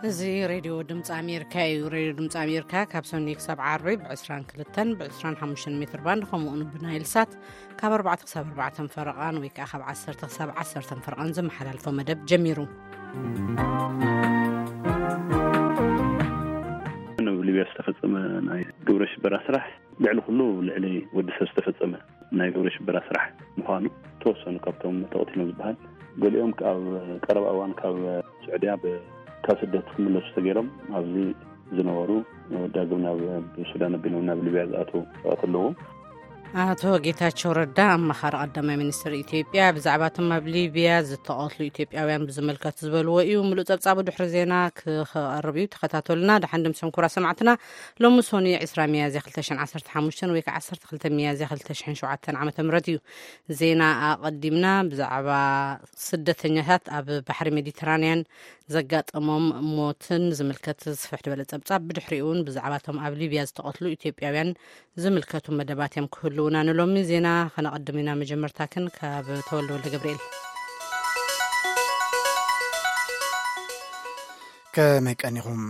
እዚ ሬድዮ ድምፂ ኣሜሪካ እዩ። ሬድዮ ድምፂ ኣሜሪካ ካብ ሰኑይ ክሳብ ዓርቢ ብ22ን ብ25 ሜትር ባንድ፣ ከምኡውን ብናይል ሳት ካብ ኣርባዕተ ክሳብ ኣርባዕተ ፈረቓን ወይ ከዓ ካብ ዓሰርተ ክሳብ ዓሰርተ ፈረቓን ዝመሓላልፎ መደብ ጀሚሩ። ኣብ ሊብያ ዝተፈጸመ ናይ ግብረ ሽበራ ስራሕ ልዕሊ ኩሉ ልዕሊ ወዲ ሰብ ዝተፈጸመ ናይ ግብረ ሽበራ ስራሕ ምዃኑ፣ ተወሰኑ ካብቶም ተቐቲሎም ዝበሃል፣ ገሊኦም ኣብ ቀረባ እዋን ካብ ስዑድያ ብ-፣ ካብ ስደት ክምለሱ ተገይሮም ኣብዚ ዝነበሩ፣ ዳግም ናብ ሱዳን ኣቢሎም ናብ ሊብያ ዝኣተዉ ሰባት ኣለዉ። ኣቶ ጌታቸው ረዳ፣ ኣማኻሪ ቀዳማይ ሚኒስትር ኢትዮጵያ፣ ብዛዕባ እቶም ኣብ ሊብያ ዝተቐትሉ ኢትዮጵያውያን ብዝምልከት ዝበልዎ እዩ። ምሉእ ጸብጻቡ ድሕሪ ዜና ክቐርብ እዩ። ተኸታተሉና። ደሓን ድምሶም ክቡራት ሰማዕትና። ሎሚ ሶኒ ዕስራ ሚያዝያ ክልተ ሽሕን ዓሰርተ ሓሙሽተን ወይ ከዓ ዓሰርተ ክልተ ሚያዝያ ክልተ ሽሕን ሸውዓተን ዓመተ ምህረት እዩ። ዜና ኣቐዲምና ብዛዕባ ስደተኛታት ኣብ ባሕሪ ሜዲተራንያን ዘጋጠሞም ሞትን ዝምልከት ስፍሕ ዝበለ ጸብጻብ፣ ብድሕሪኡ እውን ብዛዕባ እቶም ኣብ ሊብያ ዝተቐትሉ ኢትዮጵያውያን ዝምልከቱ መደባት እዮም ክህልውና። ንሎሚ ዜና ከነቐድም ኢና። መጀመርታ ግን ካብ ተወልደ ወልደ ገብርኤል። ከመይ ቀኒኹም?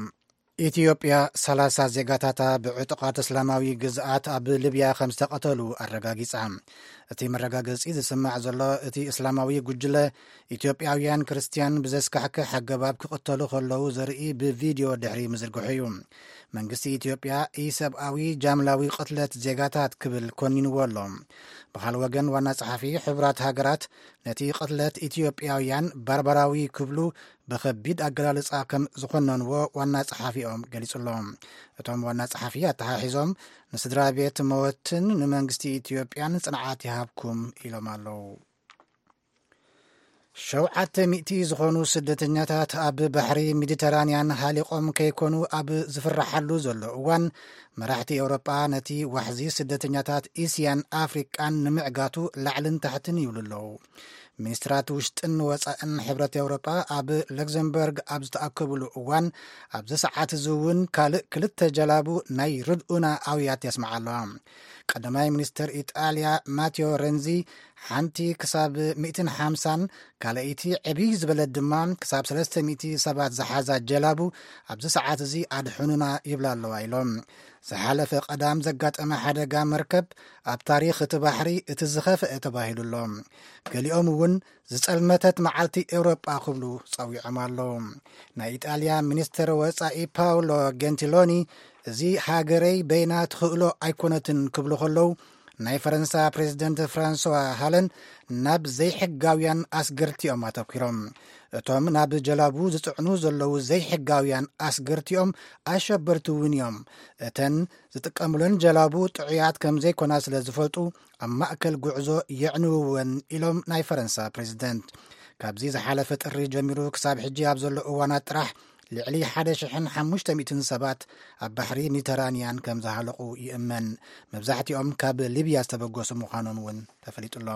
ኢትዮጵያ ሰላሳ ዜጋታታ ብዕጡቓት እስላማዊ ግዝኣት ኣብ ሊብያ ከም ዝተቐተሉ ኣረጋጊጻ። እቲ መረጋገጺ ዝስማዕ ዘሎ፣ እቲ እስላማዊ ጉጅለ ኢትዮጵያውያን ክርስትያን ብዘስካሕክሕ ኣገባብ ክቕተሉ ከለዉ ዘርኢ ብቪድዮ ድሕሪ ምዝርግሑ እዩ። መንግስቲ ኢትዮጵያ ኢሰብኣዊ ጃምላዊ ቅትለት ዜጋታት ክብል ኮኒንዎ ኣሎ። ብኻልእ ወገን፣ ዋና ጸሓፊ ሕቡራት ሃገራት ነቲ ቅትለት ኢትዮጵያውያን ባርባራዊ ክብሉ ብኸቢድ ኣገላልጻ ከም ዝኾነንዎ ዋና ጸሓፊኦም ገሊጹ ኣሎ። እቶም ዋና ጸሓፊ ኣተሓሒዞም፣ ንስድራ ቤት መወትን ንመንግስቲ ኢትዮጵያን ጽንዓት ይሃብኩም ኢሎም ኣለዉ። ሸውዓተ ሚእቲ ዝኾኑ ስደተኛታት ኣብ ባሕሪ ሜዲተራንያን ሃሊቖም ከይኮኑ ኣብ ዝፍራሓሉ ዘሎ እዋን፣ መራሕቲ ኤውሮጳ ነቲ ዋሕዚ ስደተኛታት እስያን ኣፍሪቃን ንምዕጋቱ ላዕልን ታሕትን ይብሉ ኣለዉ። ሚኒስትራት ውሽጥን ወጻእን ሕብረት ኤውሮጳ ኣብ ለክዘምበርግ ኣብ ዝተኣከብሉ እዋን፣ ኣብዚ ሰዓት እዚ እውን ካልእ ክልተ ጀላቡ ናይ ርድኡና ኣውያት የስምዓ ኣለዋ። ቀዳማይ ሚኒስትር ኢጣልያ ማቴዎ ረንዚ፣ ሓንቲ ክሳብ ሚእትን ሓምሳን ካልኣይቲ ዕብይ ዝበለት ድማ ክሳብ ሰለስተ ሚእቲ ሰባት ዝሓዛ ጀላቡ ኣብዚ ሰዓት እዚ ኣድሕኑና ይብላ ኣለዋ ኢሎም። ዝሓለፈ ቀዳም ዘጋጠመ ሓደጋ መርከብ ኣብ ታሪኽ እቲ ባሕሪ እቲ ዝኸፍአ ተባሂሉ ኣሎ። ገሊኦም እውን ዝጸልመተት መዓልቲ ኤውሮጳ ክብሉ ጸዊዖም ኣለዉ። ናይ ኢጣልያ ሚኒስትር ወጻኢ ፓውሎ ጌንቲሎኒ፣ እዚ ሃገረይ በይና ትኽእሎ ኣይኮነትን ክብሉ ከለዉ፣ ናይ ፈረንሳ ፕሬዚደንት ፍራንስዋ ሃለን ናብ ዘይሕጋውያን ኣስገርቲ እዮም ኣተኲሮም። እቶም ናብ ጀላቡ ዝጽዕኑ ዘለዉ ዘይሕጋውያን ኣስገርቲኦም ኣሸበርቲ እውን እዮም። እተን ዝጥቀሙለን ጀላቡ ጥዑያት ከም ዘይኮና ስለ ዝፈልጡ፣ ኣብ ማእከል ጉዕዞ የዕንውወን ኢሎም ናይ ፈረንሳ ፕሬዚደንት። ካብዚ ዝሓለፈ ጥሪ ጀሚሩ ክሳብ ሕጂ ኣብ ዘሎ እዋናት ጥራሕ ልዕሊ ሓደ ሽሕን ሓሙሽተ ሚእትን ሰባት ኣብ ባሕሪ ሜዲተራንያን ከም ዝሃለቑ ይእመን። መብዛሕትኦም ካብ ሊብያ ዝተበገሱ ምዃኖም እውን ተፈሊጡ ኣሎ።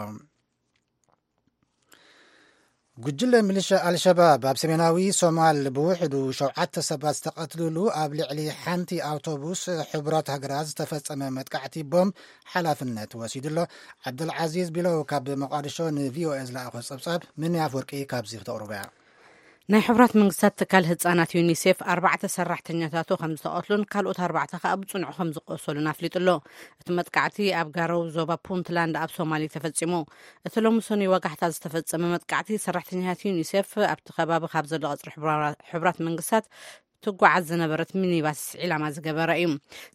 ጉጅለ ሚሊሻ ኣልሸባብ ኣብ ሰሜናዊ ሶማል ብውሕዱ ሸውዓተ ሰባት ዝተቐትልሉ ኣብ ልዕሊ ሓንቲ ኣውቶቡስ ሕቡራት ሃገራት ዝተፈጸመ መጥቃዕቲ ቦምብ ሓላፍነት ወሲዱ ኣሎ። ዓብደልዓዚዝ ቢሎው ካብ መቃድሾ ንቪኦኤ ዝለኣኾ ጸብጻብ፣ ምንያ ኣፍወርቂ ካብዚ ክተቕርቦ እያ። ናይ ሕቡራት መንግስታት ትካል ህጻናት ዩኒሴፍ ኣርባዕተ ሰራሕተኛታቱ ከም ዝተቐትሉን ካልኦት ኣርባዕተ ከኣ ብጽኑዕ ከም ዝቆሰሉን ኣፍሊጡ ኣሎ። እቲ መጥቃዕቲ ኣብ ጋረው ዞባ ፑንትላንድ ኣብ ሶማሊ ተፈጺሙ። እቲ ሎሚ ሰኑይ ወጋሕታ ዝተፈጸመ መጥቃዕቲ፣ ሰራሕተኛታት ዩኒሴፍ ኣብቲ ከባቢ ካብ ዘሎ ቀጽሪ ሕቡራ-፣ ሕቡራት መንግስታት ትጓዓዝ ዝነበረት ሚኒባስ ዒላማ ዝገበረ እዩ።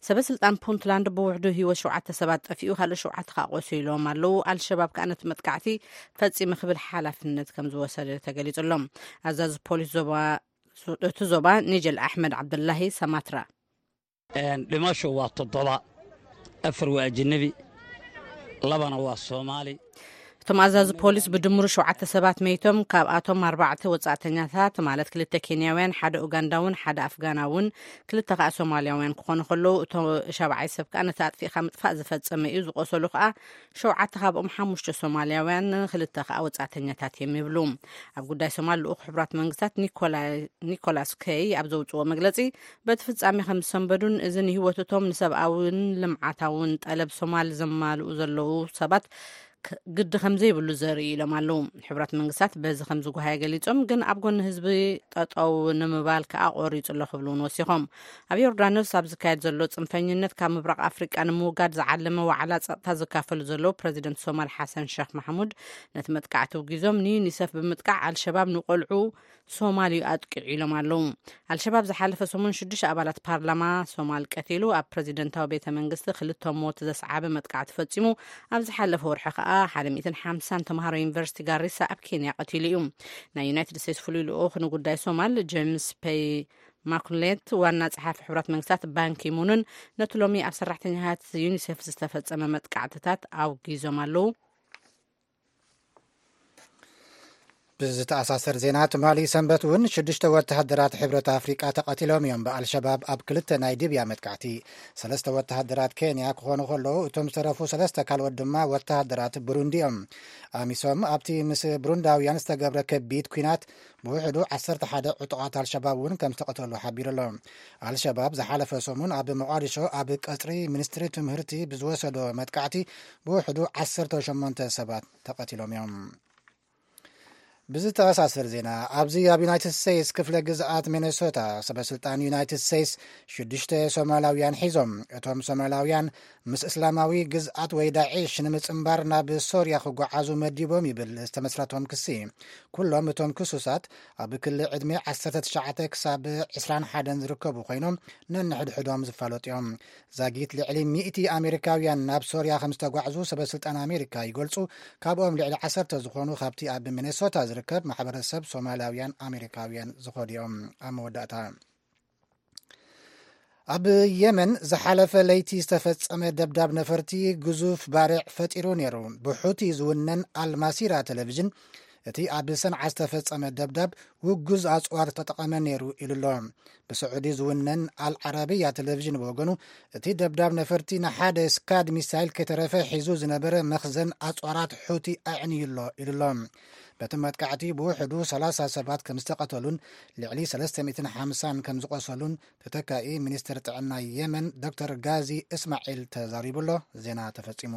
ሰበ ስልጣን ፑንትላንድ፣ ብውሕዱ ህይወት ሸውዓተ ሰባት ጠፊኡ፣ ካልእ ሸውዓተ ከኣ ቆሲሎም ኣለዉ። ኣልሸባብ ከኣ ነቲ መጥቃዕቲ ፈጺመ ክብል ሓላፍነት ከም ዝወሰደ ተገሊጹ ኣሎ። ኣዛዚ ፖሊስ ዞባ፣ እቲ ዞባ ኒጀል ኣሕመድ ዓብደላሂ ሰማትራ። Een, dhimashu waa toddoba, afar waa ajnabi, labana waa Soomaali. እቶም ኣዛዚ ፖሊስ ብድምሩ ሸውዓተ ሰባት መይቶም፣ ካብኣቶም ኣርባዕተ ወጻእተኛታት፣ ማለት ክልተ ኬንያውያን፣ ሓደ ኡጋንዳውን ሓደ ኣፍጋናውን፣ ክልተ ከኣ ሶማልያውያን ክኾኑ ከለዉ፣ እቶ ሻብዓይ ሰብ ከኣ ነቲ ኣጥፊእካ ምጥፋእ ዝፈጸመ እዩ። ዝቆሰሉ ከኣ ሸውዓተ፣ ካብኦም ሓሙሽተ ሶማልያውያን፣ ክልተ ከኣ ወጻእተኛታት እዮም ይብሉ። ኣብ ጉዳይ ሶማል ልኡኽ ሕቡራት መንግስታት ኒኮላ-፣ ኒኮላስ ከይ ኣብ ዘውጽዎ መግለጺ፣ በቲ ፍጻሜ ከም ዝሰንበዱን እዚ ንህይወት እቶም ንሰብኣውን ልምዓታውን ጠለብ ሶማል ዘማልኡ ዘለዉ ሰባት ክ-፣ ግዲ ከም ዘይብሉ ዘርኢ ኢሎም ኣለዉ። ሕቡራት መንግስታት በዚ ከም ዝጓሃየ ገሊጾም፣ ግን ኣብ ጎኒ ህዝቢ ጠጠው ንምባል ከኣ ቆሪጹ ኣሎ ክብሉ እውን ወሲኾም። ኣብ ዮርዳኖስ ኣብ ዝካየድ ዘሎ ጽንፈኝነት ካብ ምብራቕ ኣፍሪቃ ንምውጋድ ዝዓለመ ዋዕላ ጸጥታ ዝካፈሉ ዘለዉ ፕረዚደንት ሶማል ሓሰን ሸኽ ማሕሙድ፣ ነቲ መጥቃዕቲ ውጊዞም ንዩኒሰፍ ብምጥቃዕ ኣልሸባብ ንቆልዑ ሶማል እዩ ኣጥቂዑ ኢሎም ኣለዉ። ኣልሸባብ ዝሓለፈ ሰሙን ሽዱሽተ ኣባላት ፓርላማ ሶማል ቀቲሉ፣ ኣብ ፕረዚደንታዊ ቤተ መንግስቲ ክልተ ሞት ዘስዓበ መጥቃዕቲ ፈጺሙ፣ ኣብ ዝሓለፈ ወርሒ ከኣ ሓደ ሚእትን ሓምሳን ተምሃሮ ዩኒቨርሲቲ ጋሪሳ ኣብ ኬንያ ቀቲሉ እዩ። ናይ ዩናይትድ ስቴትስ ፍሉይ ልኡኽ ንጉዳይ ሶማል ጄምስ ፔይ ማኩሌት፣ ዋና ጸሓፊ ሕቡራት መንግስታት ባንኪ ሙንን ነቲ ሎሚ ኣብ ሰራሕተኛታት ዩኒሴፍ ዝተፈጸመ መጥቃዕትታት ኣውጊዞም ኣለዉ። ብዝተኣሳሰር ዜና፣ ትማሊ ሰንበት እውን ሽዱሽተ ወተሃደራት ሕብረት ኣፍሪቃ ተቐቲሎም እዮም ብኣልሸባብ ኣብ ክልተ ናይ ሊብያ መጥቃዕቲ። ሰለስተ ወተሃደራት ኬንያ ክኾኑ ከለዉ፣ እቶም ዝተረፉ ሰለስተ ካልኦት ድማ ወተሃደራት ብሩንዲ እዮም። ኣሚሶም ኣብቲ ምስ ብሩንዳውያን ዝተገብረ ከቢድ ኲናት ብውሕዱ ዓሰርተ ሓደ ዕጡቓት ኣልሸባብ እውን ከም ዝተቐተሉ ሓቢሩ ኣሎ። ኣልሸባብ ዝሓለፈ ሰሙን ኣብ ሞቓዲሾ ኣብ ቀጽሪ ሚኒስትሪ ትምህርቲ ብዝወሰዶ መጥቃዕቲ ብውሕዱ ዓሰርተ ሸሞንተ ሰባት ተቐቲሎም እዮም። ብዝተኣሳሰር ዜና፣ ኣብዚ ኣብ ዩናይትድ ስቴትስ ክፍለ ግዝኣት ሚኔሶታ፣ ሰበ ስልጣን ዩናይትድ ስቴትስ ሽዱሽተ ሶማላውያን ሒዞም። እቶም ሶማላውያን ምስ እስላማዊ ግዝኣት ወይ ዳዒሽ ንምጽንባር ናብ ሶርያ ክጓዓዙ መዲቦም ይብል ዝተመስረቶም ክሲ። ኩሎም እቶም ክሱሳት ኣብ ክሊ ዕድመ ዓሰርተ ትሽዓተ ክሳብ ዕስራን ሓደን ዝርከቡ ኮይኖም፣ ነንሕድሕዶም ዝፋለጡ እዮም። ዛጊት ልዕሊ ሚእቲ ኣሜሪካውያን ናብ ሶርያ ከም ዝተጓዕዙ ሰበ ስልጣን ኣሜሪካ ይገልጹ። ካብኦም ልዕሊ ዓሰርተ ዝኾኑ ካብቲ ኣብ ሚኔሶታ ዝርከብ ማሕበረሰብ ሶማላውያን ኣሜሪካውያን ዝኾኑ እዮም። ኣብ መወዳእታ፣ ኣብ የመን ዝሓለፈ ለይቲ ዝተፈጸመ ደብዳብ ነፈርቲ ግዙፍ ባርዕ ፈጢሩ ነይሩ። ብሑቲ ዝውነን ኣልማሲራ ቴሌቪዥን፣ እቲ ኣብ ሰንዓ ዝተፈጸመ ደብዳብ ውጉዝ ኣጽዋር ተጠቐመ ነይሩ ኢሉ ኣሎ። ብስዑዲ ዝውነን ኣልዓረብያ ቴሌቪዥን ብወገኑ፣ እቲ ደብዳብ ነፈርቲ ንሓደ ስካድ ሚሳይል ከይተረፈ ሒዙ ዝነበረ መኽዘን ኣጽዋራት ሑቲ ኣዕንዩ ኣሎ ኢሉ ኣሎ። በቲ መጥቃዕቲ ብውሕዱ ሰላሳ ሰባት ከም ዝተቐተሉን ልዕሊ ሰለስተ ሚእትን ሓምሳን ከም ዝቖሰሉን ተተካኢ ሚኒስትር ጥዕና የመን ዶክተር ጋዚ እስማዒል ተዛሪቡ ኣሎ። ዜና ተፈጺሙ።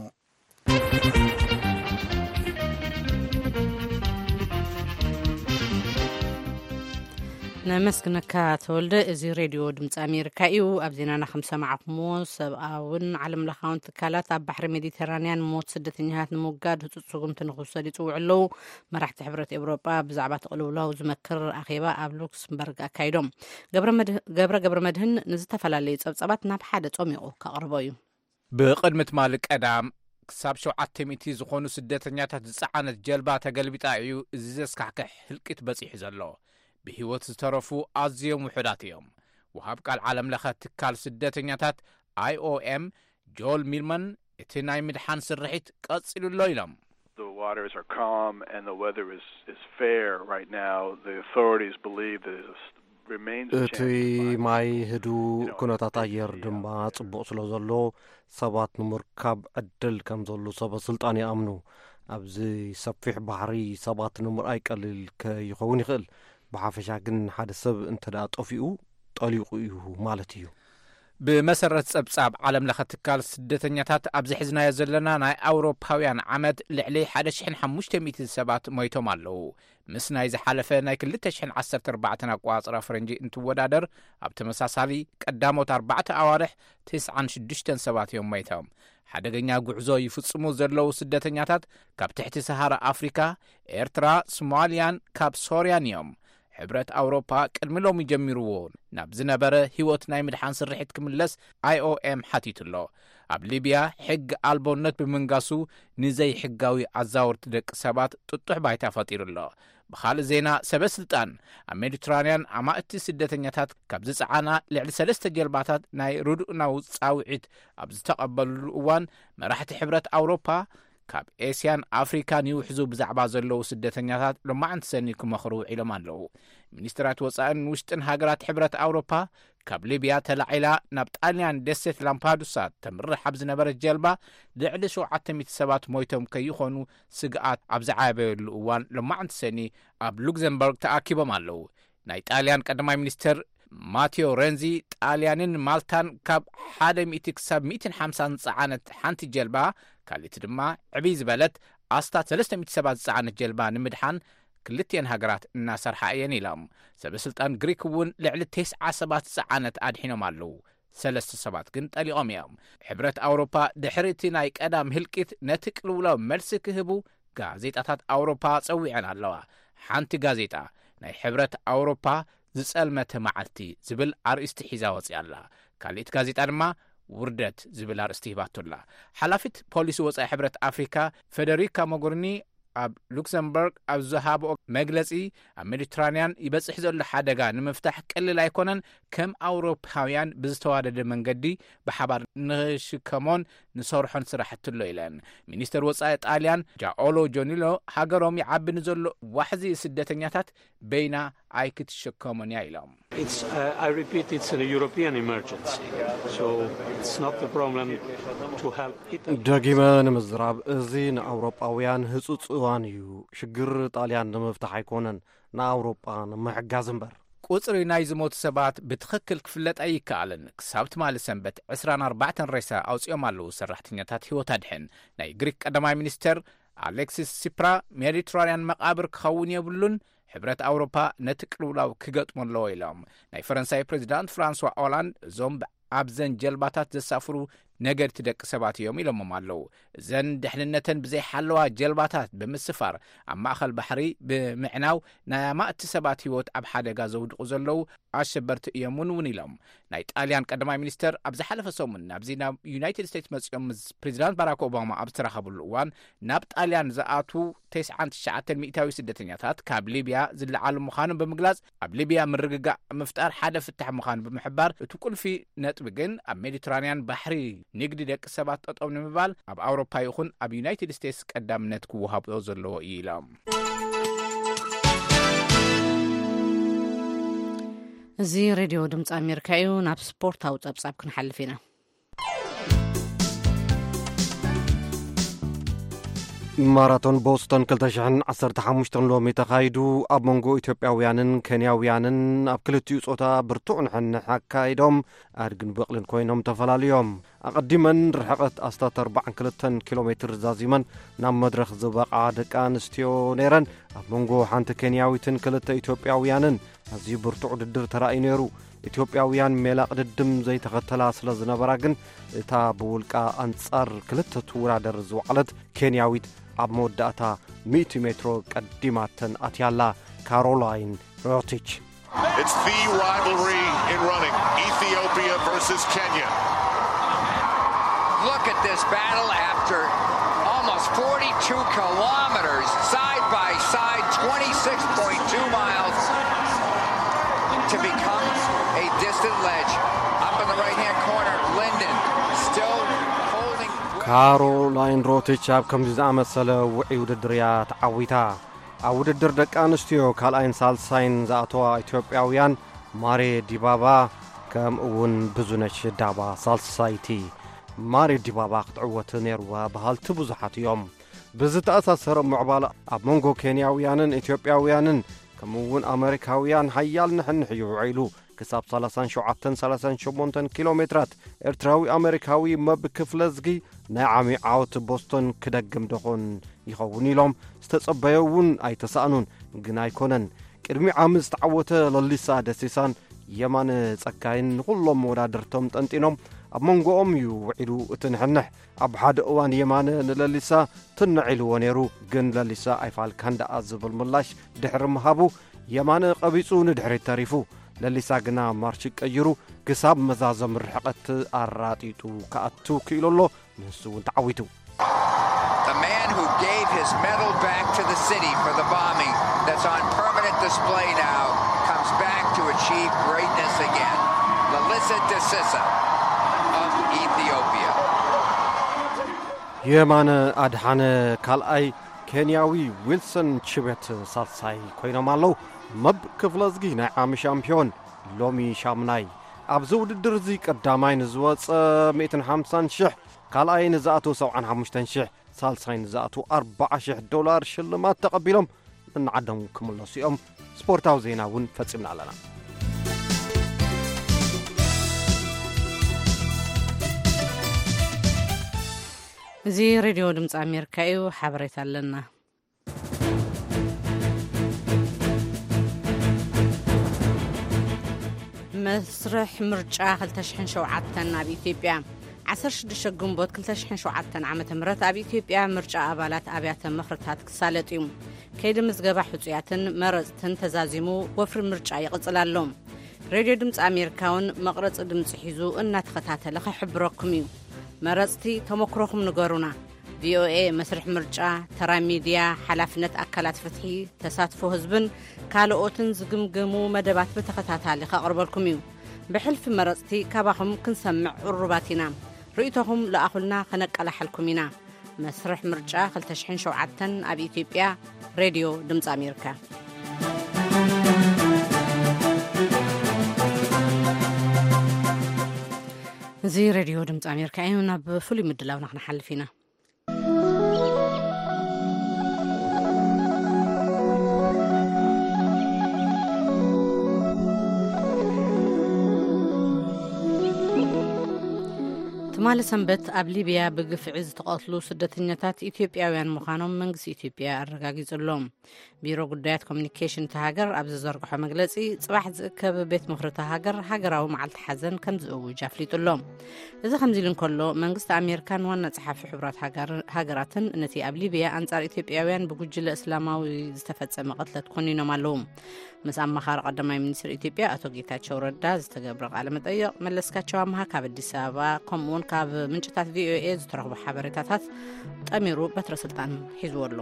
ነመስግነካ ተወልደ። እዚ ሬድዮ ድምፂ ኣሜሪካ እዩ። ኣብ ዜናና ከም ሰማዕኩሞ፣ ሰብኣውን ዓለም ለኻውን ትካላት ኣብ ባሕሪ ሜዲተራንያን ሞት ስደተኛታት ንምውጋድ ህፁፅ ስጉምቲ ንክውሰድ ይፅውዑ ኣለዉ። መራሕቲ ሕብረት ኤውሮጳ ብዛዕባ እቲ ቅልውላው ዝመክር ኣኼባ ኣብ ሉክስምበርግ ኣካይዶም። ገብረ መድህ-፣ ገብረ ገብረ መድህን ንዝተፈላለዩ ጸብጻባት ናብ ሓደ ጾሚቑ ከቕርቦ እዩ። ብቕድሚ ትማሊ ቀዳም፣ ክሳብ ሸውዓተ ሚእቲ ዝኾኑ ስደተኛታት ዝጸዓነት ጀልባ ተገልቢጣ እዩ እዚ ዘስካሕክሕ ህልቂት በጺሑ ዘሎ። ብህይወት ዝተረፉ ኣዝዮም ውሑዳት እዮም። ወሃብ ቃል ዓለም ለኸ ትካል ስደተኛታት፣ ኣይ ኦ ኤም፣ ጆል ሚልማን፣ እቲ ናይ ምድሓን ስርሒት ቀጺሉ ኣሎ ኢሎም። The waters are calm and the weather is, is fair right now. The authorities believe that it remains a እቲ chance to find ማይ people. ህዱእ፣ You know, ኩነታት it's ኣየር a, ድማ uh, ጽቡቕ ስለ ዘሎ፣ ሰባት ንምርካብ ዕድል ከም ዘሎ ሰበ ስልጣን ይኣምኑ። ኣብዚ ሰፊሕ ባሕሪ ሰባት ንምርኣይ ቀሊል ከይኸውን ይኽእል። ብሓፈሻ ግን፣ ሓደ ሰብ እንተ ደኣ ጠፊኡ፣ ጠሊቑ እዩ ማለት እዩ። ብመሰረት ጸብጻብ ዓለም ለኸ ትካል ስደተኛታት፣ ኣብዚ ሒዝናዮ ዘለና ናይ ኣውሮፓውያን ዓመት ልዕሊ ሓደ ሽሕን ሓሙሽተ ሚእትን ሰባት ሞይቶም ኣለዉ። ምስ ናይ ዝሓለፈ ናይ ክልተ ሽሕን ዓሰርተ ኣርባዕተን ኣቆጻጽራ ፈረንጂ እንትወዳደር፣ ኣብ ተመሳሳሊ ቀዳሞት ኣርባዕተ ኣዋርሕ፣ ተስዓን ሽዱሽተን ሰባት እዮም ሞይቶም። ሓደገኛ ጉዕዞ ይፍጽሙ ዘለዉ ስደተኛታት፣ ካብ ትሕቲ ሰሃራ ኣፍሪካ፣ ኤርትራ፣ ሶማልያን ካብ ሶርያን እዮም። ሕብረት ኣውሮፓ ቅድሚ ሎሚ ጀሚርዎ ናብ ዝነበረ ህይወት ናይ ምድሓን ስርሒት ክምለስ ኣይ ኦ ኤም ሓቲቱ ኣሎ። ኣብ ሊብያ ሕጊ ኣልቦነት ብምንጋሱ፣ ንዘይሕጋዊ ኣዛወርቲ ደቂ ሰባት ጥጡሕ ባይታ ፈጢሩ ኣሎ። ብኻልእ ዜና፣ ሰበ ስልጣን ኣብ ሜዲትራንያን ኣማእቲ ስደተኛታት ካብ ዝጸዓና ልዕሊ ሰለስተ ጀልባታት ናይ ርድኡናዊ ጻውዒት ኣብ ዝተቐበልሉ እዋን፣ መራሕቲ ሕብረት ኣውሮፓ ካብ ኤስያን ኣፍሪካን ይውሕዙ ብዛዕባ ዘለዉ ስደተኛታት ሎማዕንቲ ሰኒ ክመኽሩ ውዒሎም ኣለዉ። ሚኒስትራት ወፃእን ውሽጥን ሃገራት ሕብረት ኣውሮፓ ካብ ሊብያ ተላዒላ ናብ ጣልያን ደሴት ላምፓዱሳ ተምርሕ ኣብ ዝነበረት ጀልባ ልዕሊ ሸውዓተ ሚእቲ ሰባት ሞይቶም ከይኾኑ ስግኣት ኣብ ዝዓበየሉ እዋን ሎማዕንቲ ሰኒ ኣብ ሉክዘምበርግ ተኣኪቦም ኣለዉ። ናይ ጣልያን ቀዳማይ ሚኒስትር ማቴዮ ሬንዚ ጣልያንን ማልታን ካብ ሓደ ሚእቲ ክሳብ ሚእትን ሓምሳን ዝፀዓነት ሓንቲ ጀልባ፣ ካልእቲ ድማ ዕብይ ዝበለት ኣስታት ሰለስተ ሚእቲ ሰባት ዝፀዓነት ጀልባ ንምድሓን ክልቲኤን ሃገራት እናሰርሓ እየን ኢሎም። ሰበ ስልጣን ግሪክ እውን ልዕሊ ተስዓ ሰባት ዝፀዓነት ኣድሒኖም ኣለዉ። ሰለስተ ሰባት ግን ጠሊቖም እዮም። ሕብረት ኣውሮፓ ድሕሪ እቲ ናይ ቀዳም ህልቂት ነቲ ቅልውላው መልሲ ክህቡ ጋዜጣታት ኣውሮፓ ጸዊዐን ኣለዋ። ሓንቲ ጋዜጣ ናይ ሕብረት ኣውሮፓ ዝጸልመተ መዓልቲ ዝብል ኣርእስቲ ሒዛ ወጺኣ ኣላ። ካልእቲ ጋዜጣ ድማ ውርደት ዝብል ኣርእስቲ ሂባቶ ኣላ። ሓላፊት ፖሊሲ ወጻኢ ሕብረት ኣፍሪካ ፌደሪካ ሞጎሪኒ ኣብ ሉክሰምበርግ ኣብ ዝሃብኦ መግለጺ፣ ኣብ ሜዲትራንያን ይበጽሕ ዘሎ ሓደጋ ንምፍታሕ ቀሊል ኣይኮነን፣ ከም ኣውሮፓውያን ብዝተዋደደ መንገዲ ብሓባር ንሽከሞን ንሰርሖን ስራሕቲ ኣሎ ኢለን። ሚኒስተር ወጻኢ ጣልያን ጃኦሎ ጆኒሎ ሃገሮም ይዓቢ ንዘሎ ዋሕዚ ስደተኛታት በይና ኣይክትሸከሞን እያ ኢሎም። It's, uh, I repeat, it's a European emergency. So it's not the problem to help Italy. ደጊመ ንምዝራብ፣ እዚ ንኣውሮጳውያን ህጹጽ እዋን እዩ። ሽግር ጣልያን ንምፍታሕ ኣይኮነን፣ ንኣውሮጳ ንምሕጋዝ እምበር። ቁጽሪ ናይ ዝሞቱ ሰባት ብትኽክል ክፍለጥ ኣይከኣልን። ክሳብ ትማሊ ሰንበት ዕስራን ኣርባዕተን ሬሳ ኣውጺኦም ኣለዉ ሰራሕተኛታት ህይወት ኣድሕን። ናይ ግሪክ ቀዳማይ ሚኒስተር ኣሌክሲስ ሲፕራ፣ ሜዲትራንያን መቓብር ክኸውን የብሉን፣ ሕብረት ኣውሮፓ ነቲ ቅልውላው ክገጥሞ ኣለዎ ኢሎም። ናይ ፈረንሳይ ፕሬዚዳንት ፍራንሷ ኦላንድ፣ እዞም ኣብዘን ጀልባታት ዘሳፍሩ ነገድቲ ደቂ ሰባት እዮም ኢሎሞም ኣለዉ። እዘን ድሕንነተን ብዘይሓለዋ ጀልባታት ብምስፋር ኣብ ማእኸል ባሕሪ ብምዕናው ናይ ኣማእቲ ሰባት ህይወት ኣብ ሓደጋ ዘውድቑ ዘለዉ ኣሸበርቲ እዮም እውን እውን ኢሎም። ናይ ጣልያን ቀዳማይ ሚኒስተር ኣብ ዝሓለፈ ሰሙን ናብዚ ናብ ዩናይትድ ስቴትስ መጺኦም ምስ ፕሬዚዳንት ባራክ ኦባማ ኣብ ዝተራኸብሉ እዋን፣ ናብ ጣልያን ዝኣትዉ ተስዓን ትሽዓተን ሚእታዊ ስደተኛታት ካብ ሊብያ ዝለዓሉ ምዃኖም ብምግላጽ፣ ኣብ ሊብያ ምርግጋእ ምፍጣር ሓደ ፍታሕ ምዃኑ ብምሕባር፣ እቲ ቁልፊ ነጥቢ ግን ኣብ ሜዲትራንያን ባሕሪ ንግዲ ደቂ ሰባት ጠጠው ንምባል ኣብ ኣውሮፓ ይኹን ኣብ ዩናይትድ ስቴትስ ቀዳምነት ክወሃቦ ዘለዎ እዩ ኢሎም። እዚ ሬድዮ ድምፂ ኣሜሪካ እዩ። ናብ ስፖርታዊ ፀብፃብ ክንሓልፍ ኢና። ማራቶን ቦስቶን ክልተ ሽሕን ዓሰርተ ሓሙሽተን ሎሚ ተኻይዱ። ኣብ መንጎ ኢትዮጵያውያንን ኬንያውያንን ኣብ ክልቲኡ ጾታ ብርቱዕ ንሕንሕ ኣካይዶም ኣድግን በቕልን ኮይኖም ተፈላልዮም። ኣቐዲመን ርሕቐት ኣስታት ኣርባዓን ክልተን ኪሎ ሜትር ዛዚመን ናብ መድረኽ ዝበቕዓ ደቂ ኣንስትዮ ነይረን። ኣብ መንጎ ሓንቲ ኬንያዊትን ክልተ ኢትዮጵያውያንን ኣዝዩ ብርቱዕ ውድድር ተራእዩ ነይሩ። ኢትዮጵያውያን ሜላ ቅድድም ዘይተኸተላ ስለ ዝነበራ ግን፣ እታ ብውልቃ ኣንጻር ክልተ ትውዳደር ዝወዓለት ኬንያዊት ኣብ መወዳእታ ሚእቲ ሜትሮ ቀዲማተን ኣትያላ። ካሮላይን ሮቲች። It's the rivalry in running, Ethiopia versus Kenya. Look at this battle after almost forty-two kilometers, side by side, twenty-six point two miles to become a distant ledge. Up in the right-hand corner, Linden still holding. ካሮላይን ሮቲች ኣብ ከምዚ ዝኣመሰለ ውዑይ ውድድር እያ ተዓዊታ። ኣብ ውድድር ደቂ ኣንስትዮ ካልኣይን ሳልሳይን ዝኣተዋ ኢትዮጵያውያን ማሬ ዲባባ፣ ከምኡ እውን ብዙነሽ ዳባ ሳልሳይቲ። ማሬ ዲባባ ክትዕወት ነይርዋ በሃልቲ ብዙሓት እዮም። ብዝተኣሳሰረ ምዕባል ኣብ መንጎ ኬንያውያንን ኢትዮጵያውያንን ከምኡ እውን ኣመሪካውያን ሓያል ንሕንሕ እዩ ውዒሉ። ክሳብ ሰላሳን ሸውዓተን ሰላሳን ሸሞንተን ኪሎ ሜትራት ኤርትራዊ ኣመሪካዊ መብ ክፍለዝጊ ናይ ዓሚ ዓወት ቦስቶን ክደግም ደኾን ይኸውን ኢሎም ዝተጸበዮ እውን ኣይተሳእኑን። ግን ኣይኮነን። ቅድሚ ዓሚ ዝተዓወተ ለሊሳ ደሲሳን የማነ ጸጋይን ንኹሎም መወዳድርቶም ጠንጢኖም ኣብ መንጎኦም እዩ ውዒሉ እቲ ንሕንሕ። ኣብ ሓደ እዋን የማነ ንለሊሳ ትንዕ ኢልዎ ነይሩ፣ ግን ለሊሳ ኣይፋልካን ደኣ ዝብል ምላሽ ድሕሪ ምሃቡ የማነ ቀቢጹ ንድሕሪት ተሪፉ። ለሊሳ ግና ማርሽ ቀይሩ ክሳብ መዛዘም ርሕቐት ኣራጢጡ ክኣቱ ክኢሉ ኣሎ። ንሱ እውን ተዓዊቱ። The man who gave his medal back to the city for the bombing that's on permanent display now comes back to achieve greatness again. Lalisa Desisa of Ethiopia. የማነ ኣድሓነ ካልኣይ፣ ኬንያዊ ዊልሰን ቺቤት ሳልሳይ ኮይኖም ኣለዉ። መብ ክፍለዝጊ ናይ ዓሚ ሻምፒዮን ሎሚ ሻምናይ። ኣብዚ ውድድር እዚ ቀዳማይ ንዝወጸ ሚእትን ሓምሳን ሽሕ፣ ካልኣይ ንዝኣተው ሰብዓን ሓሙሽተን ሽሕ፣ ሳልሳይ ንዝኣተው ኣርባዓ ሽሕ ዶላር ሽልማት ተቐቢሎም ንዓዶም ክምለሱ እዮም። ስፖርታዊ ዜና እውን ፈጺምና ኣለና። እዚ ሬድዮ ድምፂ ኣሜሪካ እዩ። ሓበሬታ ኣለና። መስርሕ ምርጫ ክልተ ሽሕን ሸውዓተን ኣብ ኢትዮጵያ። ዓሰርተ ሽዱሽተ ግንቦት ክልተ ሽሕን ሸውዓተን ዓመተ ምህረት ኣብ ኢትዮጵያ ምርጫ ኣባላት ኣብያተ ምኽርታት ክሳለጥ እዩ። ከይዲ ምዝገባ ሕጹያትን መረጽትን ተዛዚሙ፣ ወፍሪ ምርጫ ይቕጽል ኣሎ። ሬድዮ ድምፂ ኣሜሪካ እውን መቕረፂ ድምፂ ሒዙ እናተኸታተለ ክሕብረኩም እዩ። መረፅቲ፣ ተመክሮኹም ንገሩና። ቪኦኤ መስርሕ ምርጫ፣ ተራ ሚድያ፣ ሓላፍነት ኣካላት ፍትሒ፣ ተሳትፎ ህዝብን ካልኦትን ዝግምግሙ መደባት ብተኸታታሊ ከቕርበልኩም እዩ። ብሕልፊ መረፅቲ ካባኹም ክንሰምዕ ቅሩባት ኢና። ርእይቶኹም ለኣኹልና፣ ከነቀላሓልኩም ኢና። መስርሕ ምርጫ ክልተ ሽሕን ሸውዓተን ኣብ ኢትዮጵያ። ሬድዮ ድምፂ ኣሜሪካ። እዚ ሬድዮ ድምፂ ኣሜሪካ እዩ። ናብ ፍሉይ ምድላውና ክንሓልፍ ኢና። ትማሊ ሰንበት ኣብ ሊብያ ብግፍዒ ዝተቐትሉ ስደተኛታት ኢትዮጵያውያን ምዃኖም መንግስቲ ኢትዮጵያ ኣረጋጊጹ ኣሎ። ቢሮ ጉዳያት ኮሚኒኬሽን እታ ሃገር ኣብ ዝዘርግሖ መግለጺ፣ ጽባሕ ዝእከብ ቤት ምኽሪ እታ ሃገር ሃገራዊ መዓልቲ ሓዘን ከም ዝእውጅ ኣፍሊጡ ኣሎ። እዚ ከምዚ ኢሉ እንከሎ፣ መንግስቲ ኣሜሪካን ዋና ጸሓፊ ሕቡራት ሃገር-፣ ሃገራትን ነቲ ኣብ ሊብያ ኣንጻር ኢትዮጵያውያን ብጉጅለ እስላማዊ ዝተፈጸመ ቅትለት ኮኒኖም ኣለዉ። ምስ ኣማኻሪ ቀዳማይ ሚኒስትር ኢትዮጵያ ኣቶ ጌታቸው ረዳ ዝተገብረ ቃለ መጠይቕ መለስካቸው ኣምሃ ካብ ኣዲስ ኣበባ፣ ከምኡውን ካብ ምንጭታት ቪኦኤ ዝተረኽቡ ሓበሬታታት ጠሚሩ በትረ ስልጣን ሒዝዎ ኣሎ።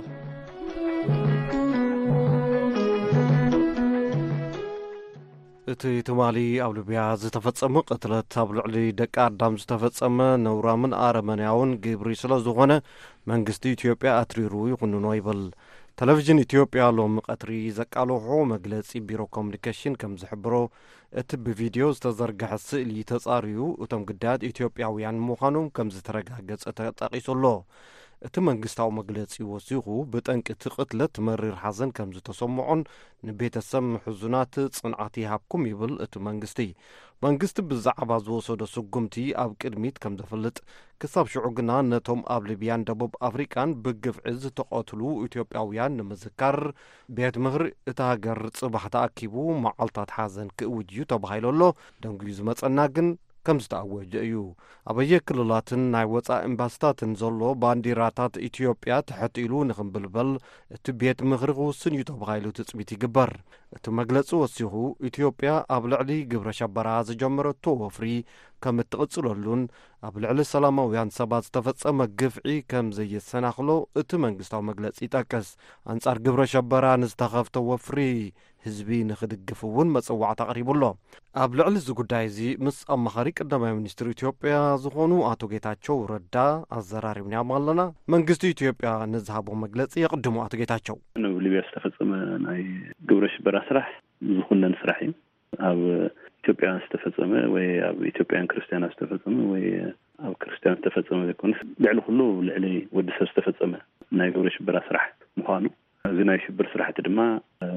እቲ ትማሊ ኣብ ሊብያ ዝተፈጸመ ቅትለት ኣብ ልዕሊ ደቂ ኣዳም ዝተፈጸመ ነውራምን ኣረመንያውን ግብሪ ስለ ዝኾነ፣ መንግስቲ ኢትዮጵያ ኣትሪሩ ይኹንኖ ይብል። ቴሌቪዥን ኢትዮጵያ ሎሚ ቀትሪ ዘቃለሖ መግለጺ ቢሮ ኮሚኒኬሽን ከም ዝሕብሮ፣ እቲ ብቪድዮ ዝተዘርግሐ ስእሊ ተጻርዩ፣ እቶም ግዳያት ኢትዮጵያውያን ምዃኖም ከም ዝተረጋገጸ ተጠቒሱ ኣሎ። እቲ መንግስታዊ መግለጺ ወሲኹ፣ ብጠንቂ እቲ ቅትለት መሪር ሓዘን ከም ዝተሰምዖን ንቤተሰብ ምሕዙናት ጽንዓት ይሃብኩም ይብል እቲ መንግስቲ። መንግስቲ ብዛዕባ ዝወሰዶ ስጉምቲ ኣብ ቅድሚት ከም ዘፍልጥ፣ ክሳብ ሽዑ ግና ነቶም ኣብ ሊብያን ደቡብ ኣፍሪቃን ብግፍዒ ዝተቐትሉ ኢትዮጵያውያን ንምዝካር፣ ቤት ምኽሪ እታ ሃገር ጽባሕ ተኣኪቡ መዓልታት ሓዘን ክእውጅ እዩ ተባሂሉ ኣሎ። ደንጉዩ ዝመጸና ግን ከም ዝተኣወጀ እዩ። ኣበየ ክልላትን ናይ ወጻኢ ኤምባሲታትን ዘሎ ባንዲራታት ኢትዮጵያ ትሕት ኢሉ ንኽንብልበል እቲ ቤት ምኽሪ ክውስን እዩ ተባሂሉ ትጽቢት ይግበር። እቲ መግለጺ ወሲኹ፣ ኢትዮጵያ ኣብ ልዕሊ ግብረ ሸበራ ዝጀመረቶ ወፍሪ ከም እትቕጽለሉን ኣብ ልዕሊ ሰላማውያን ሰባት ዝተፈጸመ ግፍዒ ከም ዘየሰናኽሎ እቲ መንግስታዊ መግለጺ ይጠቅስ። ኣንጻር ግብረ ሸበራ ንዝተኸፍተ ወፍሪ ህዝቢ ንኽድግፍ እውን መጸዋዕታ ኣቕሪቡ ኣሎ። ኣብ ልዕሊ እዚ ጉዳይ እዚ ምስ ኣማኻሪ ቀዳማይ ሚኒስትር ኢትዮጵያ ዝኾኑ ኣቶ ጌታቸው ረዳ ኣዘራሪብናዮም ኣለና። መንግስቲ ኢትዮጵያ ንዝሃቦ መግለጺ የቕድሙ። ኣቶ ጌታቸው። ኣብ ሊብያ ዝተፈጸመ ናይ ግብረ ሽበራ ስራሕ ዝኹነን ስራሕ እዩ። ኣብ ኢትዮጵያውያን ዝተፈጸመ ወይ ኣብ ኢትዮጵያውያን ክርስትያናት ዝተፈጸመ ወይ ኣብ ክርስትያን ዝተፈጸመ ዘይኮነስ፣ ልዕሊ ኩሉ ልዕሊ ወዲ ሰብ ዝተፈጸመ ናይ ግብረ ሽበራ ስራሕ ምዃኑ፣ እዚ ናይ ሽብር ስራሕቲ ድማ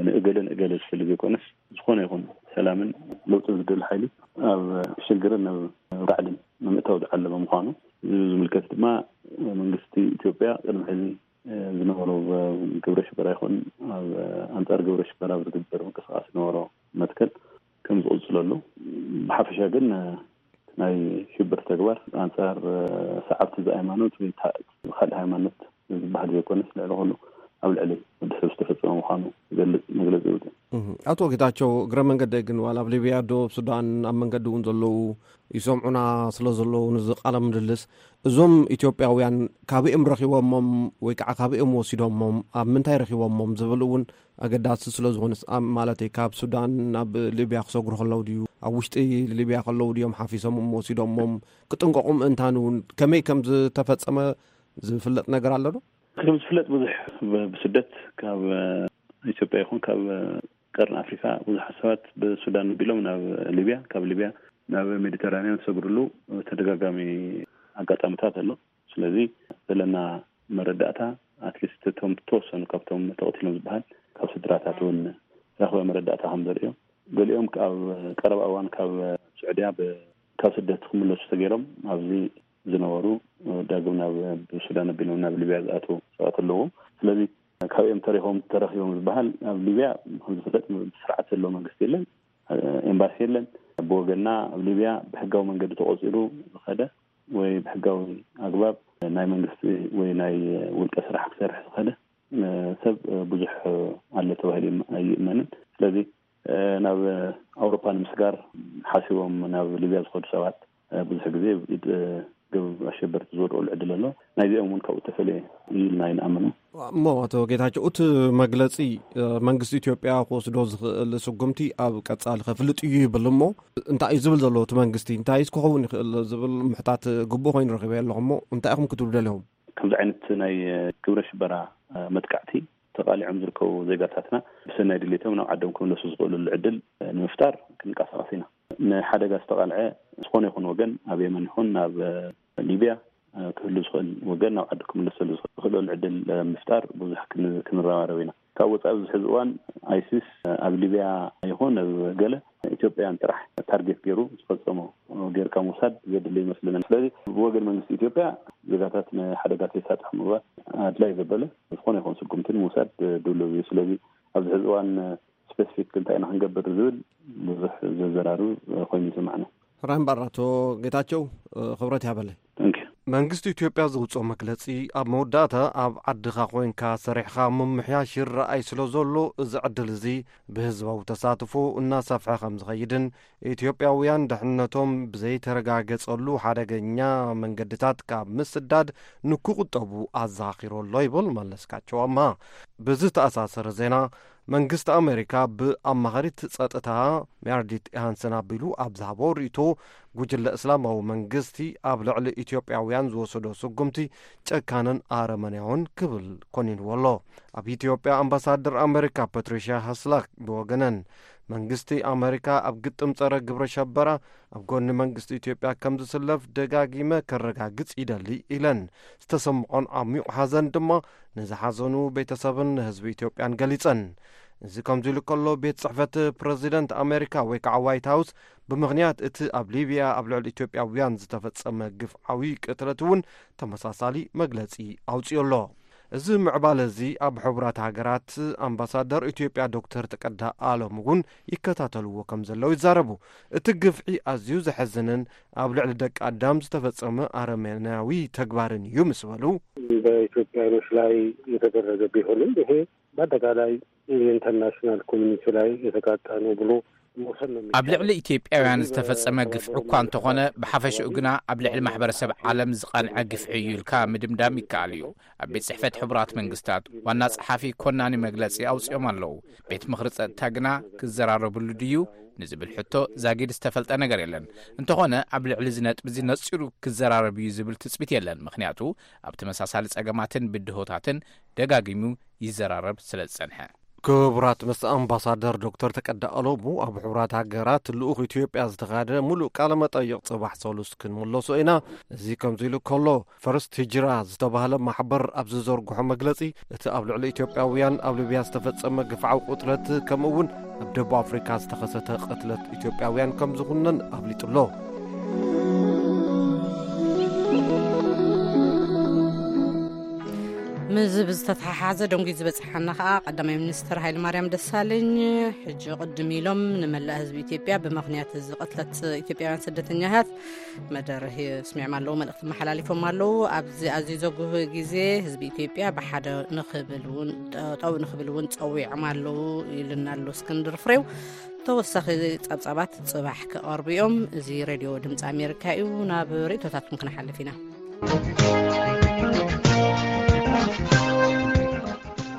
ንእገለ ንእገለ ዝፈሊ ዘይኮነስ፣ ዝኾነ ይኹን ሰላምን ለውጥን ዝደሊ ሓይሊ ኣብ ሽግርን ኣብ ራዕድን ንምእታው ዝዓለመ ምዃኑ፣ እዚ ዝምልከት ድማ መንግስቲ ኢትዮጵያ ቅድሚ ሕዚ ዝነበሩ ግብረ ሽበራ ይኹን ኣብ ኣንጻር ግብረ ሽበራ ኣብ ዝግበር ምንቅስቃስ ዝነበሮ መትከል ከም ዝቕጽለሉ፣ ብሓፈሻ ግን ናይ ሽብር ተግባር ኣንጻር ሰዓብቲ እዚ ሃይማኖት ወይ ታ-፣ ካልእ ሃይማኖት ዝበሃል ዘይኮነስ፣ ልዕሊ ኩሉ ኣብ ልዕሊ ወዲ ሰብ ዝተፈጸመ ምዃኑ ዝገልጽ መግለጺ ይወጽእ። እህ፣ ኣቶ ጌታቸው፣ እግረ መንገደይ ግን ዋላ ኣብ ሊብያ፣ ደቡብ ሱዳን ኣብ መንገዲ እውን ዘለዉ ይሰምዑና ስለ ዘለዉ፣ ንዚ ቃለ ምልልስ እዞም ኢትዮጵያውያን ካበይኦም ረኺቦሞም ወይ ከዓ ካበይኦም ወሲዶሞም፣ ኣብ ምንታይ ረኺቦሞም ዝብል እውን ኣገዳሲ ስለ ዝኾነስ፣ ኣብ፣ ማለተይ፣ ካብ ሱዳን ናብ ሊብያ ክሰግሩ ከለዉ ድዩ፣ ኣብ ውሽጢ ሊብያ ከለዉ ድዮም ሓፊሶሞም ወሲዶሞም፣ ክጥንቀቑ ምእንታን እውን ከመይ ከም ዝተፈጸመ ዝፍለጥ ነገር ኣሎ ዶ? ከም ዝፍለጥ ብዙሕ ብ- ብስደት ካብ እ፣ ኢትዮጵያ ይኹን ካብ እ፣ ቀርኒ ኣፍሪካ ብዙሓት ሰባት ብሱዳን ኣቢሎም ናብ ሊብያ፣ ካብ ሊብያ ናብ ሜዲተራንያን ዝሰግርሉ ተደጋጋሚ ኣጋጣሚታት ኣሎ። ስለዚ ዘለና መረዳእታ ኣትሊስት እቶም ተወሰኑ ካብቶም ተቐቲሎም ዝበሃል ካብ ስድራታት እውን ረኽበ መረዳእታ ከም ዘርእዮ፣ ገሊኦም ኣብ ቀረባ እዋን ካብ ስዑድያ ብ- ካብ ስደት ክምለሱ ተገይሮም ኣብዚ ዝነበሩ ዳግም ናብ ብሱዳን ኣቢሎም ናብ ሊብያ ዝኣትዉ ሰባት ኣለዎም። ስለዚ ካበኦም ተረኺቦም ተረኺቦም ዝበሃል ኣብ ሊብያ ከም ዝፍለጥ ስርዓት ዘለዎ መንግስቲ የለን፣ ኤምባሲ የለን። ብወገንና ኣብ ሊብያ ብሕጋዊ መንገዲ ተቆፂሩ ዝኸደ ወይ ብሕጋዊ ኣግባብ ናይ መንግስቲ ወይ ናይ ውልቀ ስራሕ ክሰርሕ ዝኸደ ሰብ ብዙሕ ኣሎ ተባሂሉ ኣይእመንን። ስለዚ ናብ ኣውሮፓ ንምስጋር ሓሲቦም ናብ ሊብያ ዝኸዱ ሰባት ብዙሕ ግዜ ኢድ ግብ ኣሸበርቲ ዝወድቀሉ ዕድል ኣሎ። ናይዚኦም እውን ካብኡ ተፈልየ እዩ ኢልና ኣይንኣምንን። እሞ ኣቶ ጌታቸው፣ እቲ መግለጺ መንግስቲ ኢትዮጵያ ክወስዶ ዝኽእል ስጉምቲ ኣብ ቀጻሊ ከፍልጥ እዩ ይብል። እሞ እንታይ እዩ ዝብል ዘሎ እቲ መንግስቲ? እንታይስ ክኸውን ይኽእል ዝብል ምሕታት ግቡእ ኮይኑ ረኺበ ኣለኹ። እሞ እንታይ ኢኹም ክትብሉ ደሊኹም? ከምዚ ዓይነት ናይ ግብረ ሽበራ መጥቃዕቲ ተቓሊዖም ዝርከቡ ዜጋታትና ብሰናይ ድሌቶም ናብ ዓዶም ክምለሱ ዝኽእሉሉ ዕድል ንምፍጣር ክንቀሳቐስ ኢና። ንሓደጋ ዝተቓልዐ ዝኾነ ይኹን ወገን ኣብ የመን ይኹን ናብ ሊብያ ክህሉ ዝኽእል ወገን ናብ ዓዱ ክምለሰሉ ዝኽእለሉ ዕድል ምፍጣር ብዙሕ ክን- ክንረባረብ ኢና። ካብ ወፃኢ ኣብዚ ሕዚ እዋን ኣይሲስ ኣብ ሊብያ ይኹን ኣብ ገለ ኢትዮጵያን ጥራሕ ታርጌት ገይሩ ዝፈፀሞ ጌርካ ምውሳድ ዘድሊ ይመስለና። ስለዚ ብወገን መንግስቲ ኢትዮጵያ ዜጋታት ንሓደጋ ተይሳጥሑ ምግባር ኣድላይ ዘበለ ዝኾነ ይኹን ስጉምቲ ንምውሳድ ድሉው እዩ። ስለዚ ኣብዚ ሕዚ እዋን ስፔሲፊክ እንታይ ኢና ክንገብር ዝብል ብዙሕ ዘዘራርብ ኮይኑ ይስማዕና። ራምባር ኣቶ ጌታቸው ክብረት ያበለይ። መንግስቲ ኢትዮጵያ ዘውፅኦ መግለፂ ኣብ መወዳእታ ኣብ ዓድኻ ኮይንካ ሰሪሕኻ ምምሕያሽ ይረኣይ ስለ ዘሎ እዚ ዕድል እዚ ብህዝባዊ ተሳትፎ እናሰፍሐ ከም ዝኸይድን ኢትዮጵያውያን ድሕነቶም ብዘይተረጋገፀሉ ሓደገኛ መንገድታት ካብ ምስዳድ ንክቁጠቡ ኣዘኻኺሩ ኣሎ ይብል መለስካቸው ኣምሃ። ብዝተኣሳሰረ ዜና መንግስቲ ኣሜሪካ ብኣማኻሪት ጸጥታ ሜርዲት ሃንሰን ኣቢሉ ኣብ ዝሃቦ ርእይቶ ጉጅለ እስላማዊ መንግስቲ ኣብ ልዕሊ ኢትዮጵያውያን ዝወሰዶ ስጉምቲ ጨካንን ኣረመኔያውን ክብል ኮኒንዎ ኣሎ። ኣብ ኢትዮጵያ ኣምባሳደር ኣሜሪካ ፓትሪሽያ ሃስላክ ብወገነን መንግስቲ ኣሜሪካ ኣብ ግጥም ጸረ ግብረ ሸበራ ኣብ ጎኒ መንግስቲ ኢትዮጵያ ከም ዝስለፍ ደጋጊመ ከረጋግጽ ይደሊ ኢለን። ዝተሰምዖን ዓሚቕ ሓዘን ድማ ንዝሓዘኑ ቤተሰብን ንህዝቢ ኢትዮጵያን ገሊጸን። እዚ ከምዚ ኢሉ ከሎ ቤት ጽሕፈት ፕረዚደንት ኣሜሪካ ወይ ከዓ ዋይት ሃውስ ብምኽንያት እቲ ኣብ ሊብያ ኣብ ልዕሊ ኢትዮጵያውያን ዝተፈጸመ ግፍዓዊ ቅትለት እውን ተመሳሳሊ መግለጺ ኣውጺኡ ኣሎ። እዚ ምዕባለ እዚ ኣብ ሕቡራት ሃገራት ኣምባሳደር ኢትዮጵያ ዶክተር ተቀዳ ኣሎም እውን ይከታተልዎ ከም ዘለዉ ይዛረቡ። እቲ ግፍዒ ኣዝዩ ዘሐዝንን ኣብ ልዕሊ ደቂ ኣዳም ዝተፈጸመ ኣረመናዊ ተግባርን እዩ ምስ በሉ፣ በኢትዮጵያኖች ላይ የተደረገ ቢሆንም ይሄ በአጠቃላይ የኢንተርናሽናል ኮሚኒቲ ላይ የተቃጣ ነው ብሎ መውሰድ ነው የሚቻለው። ኣብ ልዕሊ ኢትዮጵያውያን ዝተፈጸመ ግፍዒ እኳ እንተኾነ ብሓፈሽኡ ግና ኣብ ልዕሊ ማሕበረሰብ ዓለም ዝቐንዐ ግፍዒ እዩ ኢልካ ምድምዳም ይከኣል እዩ። ኣብ ቤት ጽሕፈት ሕቡራት መንግስታት ዋና ጸሓፊ ኮናኒ መግለጺ ኣውጺኦም ኣለዉ። ቤት ምኽሪ ጸጥታ ግና ክዘራረብሉ ድዩ ንዝብል ሕቶ ዛጊድ ዝተፈልጠ ነገር የለን። እንተኾነ ኣብ ልዕሊ እዚ ነጥቢ እዚ ነጺሩ ክዘራረብ እዩ ዝብል ትጽቢት የለን። ምኽንያቱ ኣብ ተመሳሳሊ ጸገማትን ብድሆታትን ደጋጊሙ ይዘራረብ ስለ ዝጸንሐ። ክቡራት ምስ ኣምባሳደር ዶክተር ተቀዳ ኣሎሙ ኣብ ሕቡራት ሃገራት ልኡኽ ኢትዮጵያ ዝተኻደ ሙሉእ ቃለ መጠይቕ ጽባሕ ሰሉስ ክንምለሶ ኢና። እዚ ከምዚ ኢሉ ከሎ ፈርስት ሂጅራ ዝተባህለ ማሕበር ኣብ ዝዘርግሖ መግለጺ እቲ ኣብ ልዕሊ ኢትዮጵያውያን ኣብ ሊብያ ዝተፈጸመ ግፍዓዊ ቅትለት ከምኡ እውን ኣብ ደቡብ ኣፍሪካ ዝተኸሰተ ቅትለት ኢትዮጵያውያን ከም ዝኹነን ኣፍሊጡ ኣሎ። ምዚ ብዝተተሓሓዘ ደንጉዩ ዝበፅሓና ከዓ ቀዳማይ ሚኒስትር ሃይለማርያም ደሳለኝ ሕጂ ቅድም ኢሎም ንመላእ ህዝቢ ኢትዮጵያ ብምኽንያት እዚ ቅትለት ኢትዮጵያውያን ስደተኛታት መደረ ስሚዕም ኣለዉ፣ መልእኽቲ መሓላሊፎም ኣለዉ። ኣብዚ ኣዝዩ ዘጉህ ግዜ ህዝቢ ኢትዮጵያ ብሓደ ንኽብል እውን ጠጠው ንኽብል እውን ፀዊዖም ኣለዉ ኢልና ኣሎ እስክንድር ፍሬው። ተወሳኺ ጸብጻባት ጽባሕ ክቐርቡ እዮም። እዚ ሬድዮ ድምፂ ኣሜሪካ እዩ። ናብ ርእቶታትኩም ክንሓልፍ ኢና።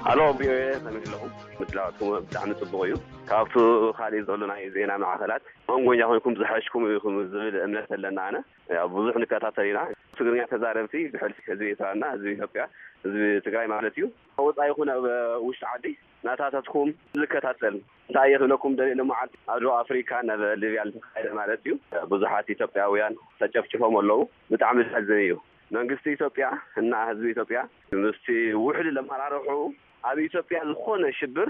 ሃሎ ቪኦኤ፣ ከመይ ኣለኹም? ላትኩም ብጣዕሚ ጽቡቕ እዩ። ካብቱ ካሊእ ዘሎ ናይ ዜና ማዕኸላት መንጎኛ ኮይንኩም ዝሓሽኩም ኢኹም ዝብል እምነት ኣለና። ኣነ ያው ብዙሕ ንከታተል ኢና። ትግርኛ ተዛረብቲ ብሕልፊ ህዝቢ ኤርትራና ህዝቢ ኢትዮጵያ ህዝቢ ትግራይ ማለት እዩ፣ ወፃኢ ይኹን ኣብ ውሽጢ ዓዲ ናታታትኩም ዝከታተል እንታይ እየ ክብለኩም ደልየ፣ ሎመዓልቲ ኣብ ደቡብ ኣፍሪካ ናብ ሊብያ ዝተኻየደ ማለት እዩ ብዙሓት ኢትዮጵያውያን ተጨፍጭፎም ኣለዉ። ብጣዕሚ ዘሕዝን እዩ። መንግስቲ ኢትዮጵያ እና ህዝቢ ኢትዮጵያ ምስቲ ውሕሉል ኣመራርሑ ኣብ ኢትዮጵያ ዝኾነ ሽብር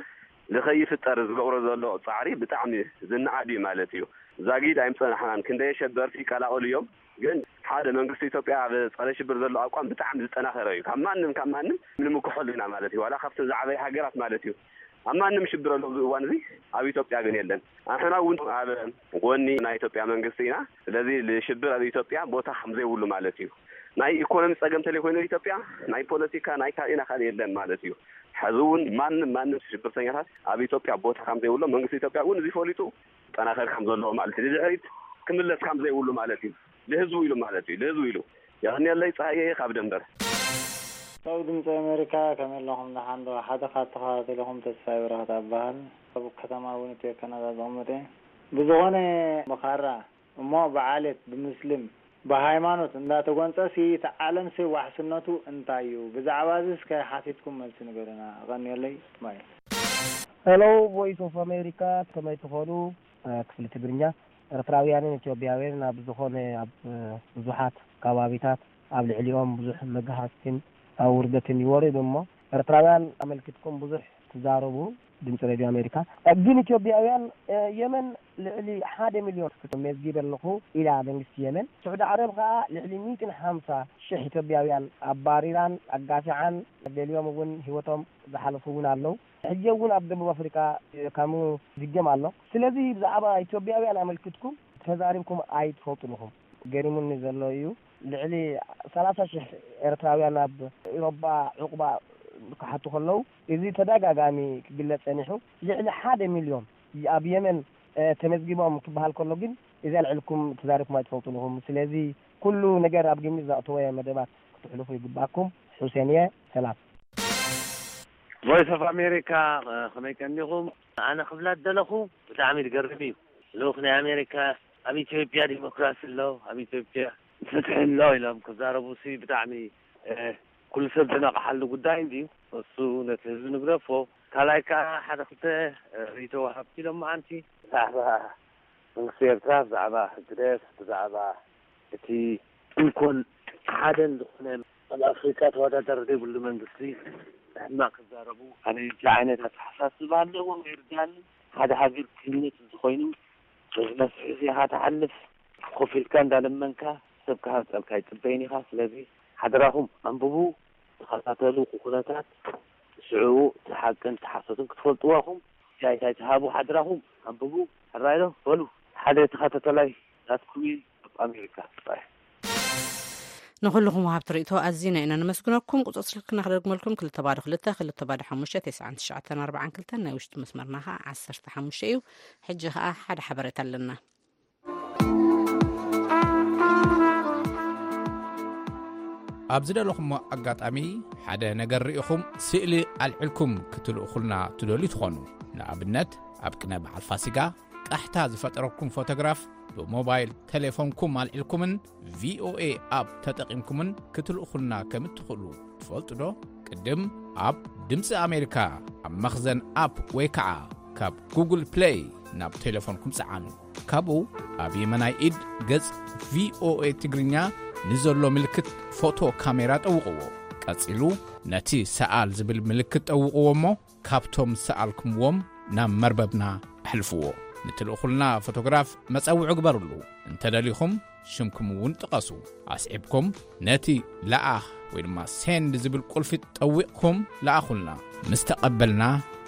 ንኸይፍጠር ዝገብሮ ዘሎ ፃዕሪ ብጣዕሚ ዝነኣድ እዩ ማለት እዩ። ዛጊድ ኣይምፀናሕናን፣ ክንደይ ኣሸበርቲ ይቀላቀሉ እዮም። ግን ሓደ መንግስቲ ኢትዮጵያ ኣብ ፀረ ሽብር ዘሎ ኣቋም ብጣዕሚ ዝጠናኸረ እዩ። ካብ ማንም ካብ ማንም ንምክሐሉ ኢና ማለት እዩ። ዋላ ካብተን ዝዓበየ ሃገራት ማለት እዩ። ኣብ ማንም ሽብር ኣሎ ኣብዚ እዋን እዚ፣ ኣብ ኢትዮጵያ ግን የለን። ኣሕና እውን ኣብ ጎኒ ናይ ኢትዮጵያ መንግስቲ ኢና። ስለዚ ንሽብር ኣብ ኢትዮጵያ ቦታ ከም ዘይብሉ ማለት እዩ። ናይ ኢኮኖሚ ጸገም ተለይኮይኑ ኢትዮጵያ ናይ ፖለቲካ ናይ ካልእና ካልእ የለን ማለት እዩ። ሕዚ እውን ማንም ማንም ሽብርተኛታት ኣብ ኢትዮጵያ ቦታ ከም ዘይብሎ መንግስቲ ኢትዮጵያ እውን እዚ ፈሊጡ ጠናኸር ከም ዘለዎ ማለት እዩ። ንድሕሪት ክምለስ ከም ዘይብሉ ማለት እዩ። ንህዝቡ ኢሉ ማለት እዩ። ንህዝቡ ኢሉ። የቐንየለይ ጸሃየ ካብ ደንበር። ሰው ድምፂ ኣሜሪካ ከመይ ኣለኹም? ደሓን ዶ? ሓደ ካብ ተኸታተልኹም ተስፋይ በረኸት ኣበሃል። ኣብ ከተማ ዊኒፔግ ካናዳ ዝቕመጥ እየ። ብዝኾነ ብኻራ እሞ ብዓሌት፣ ብምስልም፣ ብሃይማኖት እንዳተጎንፀ ሲ እቲ ዓለም ሲ ዋሕስነቱ እንታይ እዩ? ብዛዕባ እዚ እስከ ሓቲትኩም መልሲ ንገሩና። ኣቐንየለይ። ባይ። ሄሎ፣ ቮይስ ኦፍ ኣሜሪካ፣ ከመይ ትኾኑ? እ፣ ክፍሊ ትግርኛ። ኤርትራውያንን ኢትዮጵያውያንን ኣብ ዝኾነ ኣብ፣ እ፣ ብዙሓት ከባቢታት ኣብ ልዕሊኦም ብዙሕ መግሃስትን ኣውርደትን ይወርድ እሞ፣ ኤርትራውያን ኣመልኪትኩም ብዙሕ ትዛረቡ፣ ድምፂ ሬድዮ ኣሜሪካ። እ፣ ግን ኢትዮጵያውያን፣ እ፣ የመን ልዕሊ ሓደ ሚልዮን መዝጊበ ኣለኹ ኢላ መንግስቲ የመን። ስዑዲ ዓረብ ከኣ ልዕሊ ሚእትን ሓምሳ ሽሕ ኢትዮጵያውያን ኣባሪራን ኣጋፊዓን፣ ገሊኦም እውን ህይወቶም ዝሓለፉ እውን ኣለዉ። ሕጂ እውን ኣብ ደቡብ ኣፍሪቃ ከምኡ ዝገም ኣሎ። ስለዚ ብዛዕባ ኢትዮጵያውያን ኣመልኪትኩም ተዛሪብኩም ኣይትፈልጡን ኢኹም። ገሪሙኒ ዘሎ እዩ። ልዕሊ ሰላሳ ሽሕ ኤርትራውያን ኣብ ኤውሮጳ ዕቑባ ክሓቱ ከለዉ፣ እዚ ተደጋጋሚ ክግለጽ ጸኒሑ። ልዕሊ ሓደ ሚልዮን ኣብ የመን፣ እ፣ ተመዝጊቦም ክበሃል ከሎ ግን፣ እዚ ኣልዕልኩም ተዛሪብኩም ኣይትፈልጡን ኢኹም። ስለዚ ኩሉ ነገር ኣብ ግምት ዘእተወ መደባት ክትሕልፉ ይግባኩም። ሑሴን እየ። ሰላም። ቮይስ ኦፍ ኣሜሪካ፣ እ፣ ከመይ ቀኒኹም? ኣነ ክብላ ዝደለኹ ብጣዕሚ ዝገርም እዩ። ልኡኽ ናይ ኣሜሪካ ኣብ ኢትዮጵያ ዲሞክራሲ ኣሎ፣ ኣብ ኢትዮጵያ ፍትሒ ኣሎ ኢሎም ክዛረቡ ሲ ብጣዕሚ፣ እ፣ ኩሉ ሰብ ዝነቕሓሉ ጉዳይ እንድዩ። እሱ ነቲ ህዝቢ ንግደፎ። ካልኣይ ከኣ ሓደ ክልተ፣ እ፣ ርእይቶ ወሃብቲ ኢሎም መዓንቲ ብዛዕባ መንግስቲ ኤርትራ፣ ብዛዕባ ህግደፍ፣ ብዛዕባ እቲ እንኮን ሓደን ዝኾነ ኣብ ኣፍሪካ ተወዳዳሪ ዘይብሉ መንግስቲ ሕማቕ ክዛረቡ፣ ኣነ እዚ ዓይነት ኣተሓሳስባ ኣለዎም፣ ይርዳኒ። ሓደ ሃገር ክህነፅ እንተኾይኑ፣ በዚ መስርሕ እዚ ኢኻ ትሓልፍ። ኮፍ ኢልካ እንዳለመንካ ሰብ ክሃንፀልካ ኣይፅበይን ኢኻ። ስለዚ ሓደራኹም ኣንብቡ፣ ተኸታተሉ፣ ኩነታት ስዕቡ፣ እቲ ሓቅን እቲ ሓሶትን ክትፈልጥዎ ኢኹም። ኣስተያየት ኣይትሃቡ፣ ሓደራኹም ኣንብቡ። ሕራይ ዶ? በሉ፣ ሓደ ተኸታተላይ ናትኩም እየ፣ ኣብ ኣሜሪካ። ባይ። ንኹልኹም ወሃብቲ ርእይቶ ኣዚና ኢና ነመስግነኩም። ቁጽሪ ስልክና ክደግመልኩም፣ ክልተ ባዶ ክልተ፣ ክልተ ባዶ ሓሙሽተ፣ ተስዓን ትሽዓተን ኣርባዓን ክልተን፣ ናይ ውሽጢ መስመርና ኸዓ ዓሰርተ ሓሙሽተ እዩ። ሕጂ ኸዓ ሓደ ሓበሬታ ኣለና። ኣብ ዝደለኹሞ ኣጋጣሚ ሓደ ነገር ርኢኹም ስእሊ ኣልዒልኩም ክትልእኹልና ትደልዩ ትኾኑ። ንኣብነት፣ ኣብ ቅነ በዓል ፋሲጋ ቃሕታ ዝፈጠረኩም ፎቶግራፍ ብሞባይል ቴሌፎንኩም ኣልዒልኩምን ቪኦኤ ኣፕ ተጠቒምኩምን ክትልእኹልና ከም እትኽእሉ ትፈልጡ ዶ? ቅድም ኣብ ድምፂ ኣሜሪካ ኣብ መኽዘን ኣፕ ወይ ከዓ ካብ ጉግል ፕሌይ ናብ ቴሌፎንኩም ፀዓኑ። ካብኡ ኣብ የመናይ ኢድ ገጽ ቪኦኤ ትግርኛ ንዘሎ ምልክት ፎቶ ካሜራ ጠውቕዎ። ቀጺሉ ነቲ ሰኣል ዝብል ምልክት ጠውቕዎ እሞ ካብቶም ዝሰኣልኩምዎም ናብ መርበብና ኣሕልፍዎ። ንትልእኹልና ፎቶግራፍ መጸውዒ ግበርሉ። እንተደሊኹም ሽምኩም እውን ጥቐሱ። ኣስዒብኩም ነቲ ለኣኽ ወይ ድማ ሴንድ ዝብል ቁልፊ ጠዊቕኩም ለኣኹልና። ምስ ተቐበልና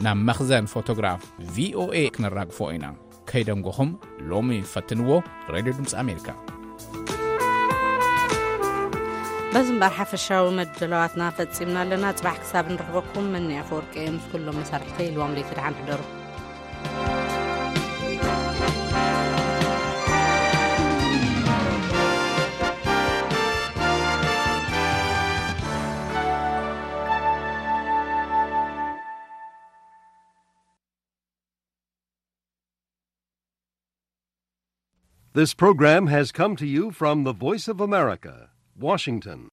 ናብ መኽዘን ፎቶግራፍ ቪኦኤ ክነራግፎ ኢና። ከይደንጎኹም ሎሚ ፈትንዎ። ሬድዮ ድምፂ ኣሜሪካ። በዚ እምበር ሓፈሻዊ መደላዋትና ፈጺምና ኣለና። ጽባሕ ክሳብ ንረኽበኩም መኒ ኣፈወርቂ እየ ምስ ኩሎም መሳርሕተይ ኢልዎም ለይቲ ደሓን ሕደሩ። This program has come to you from the Voice of America, Washington.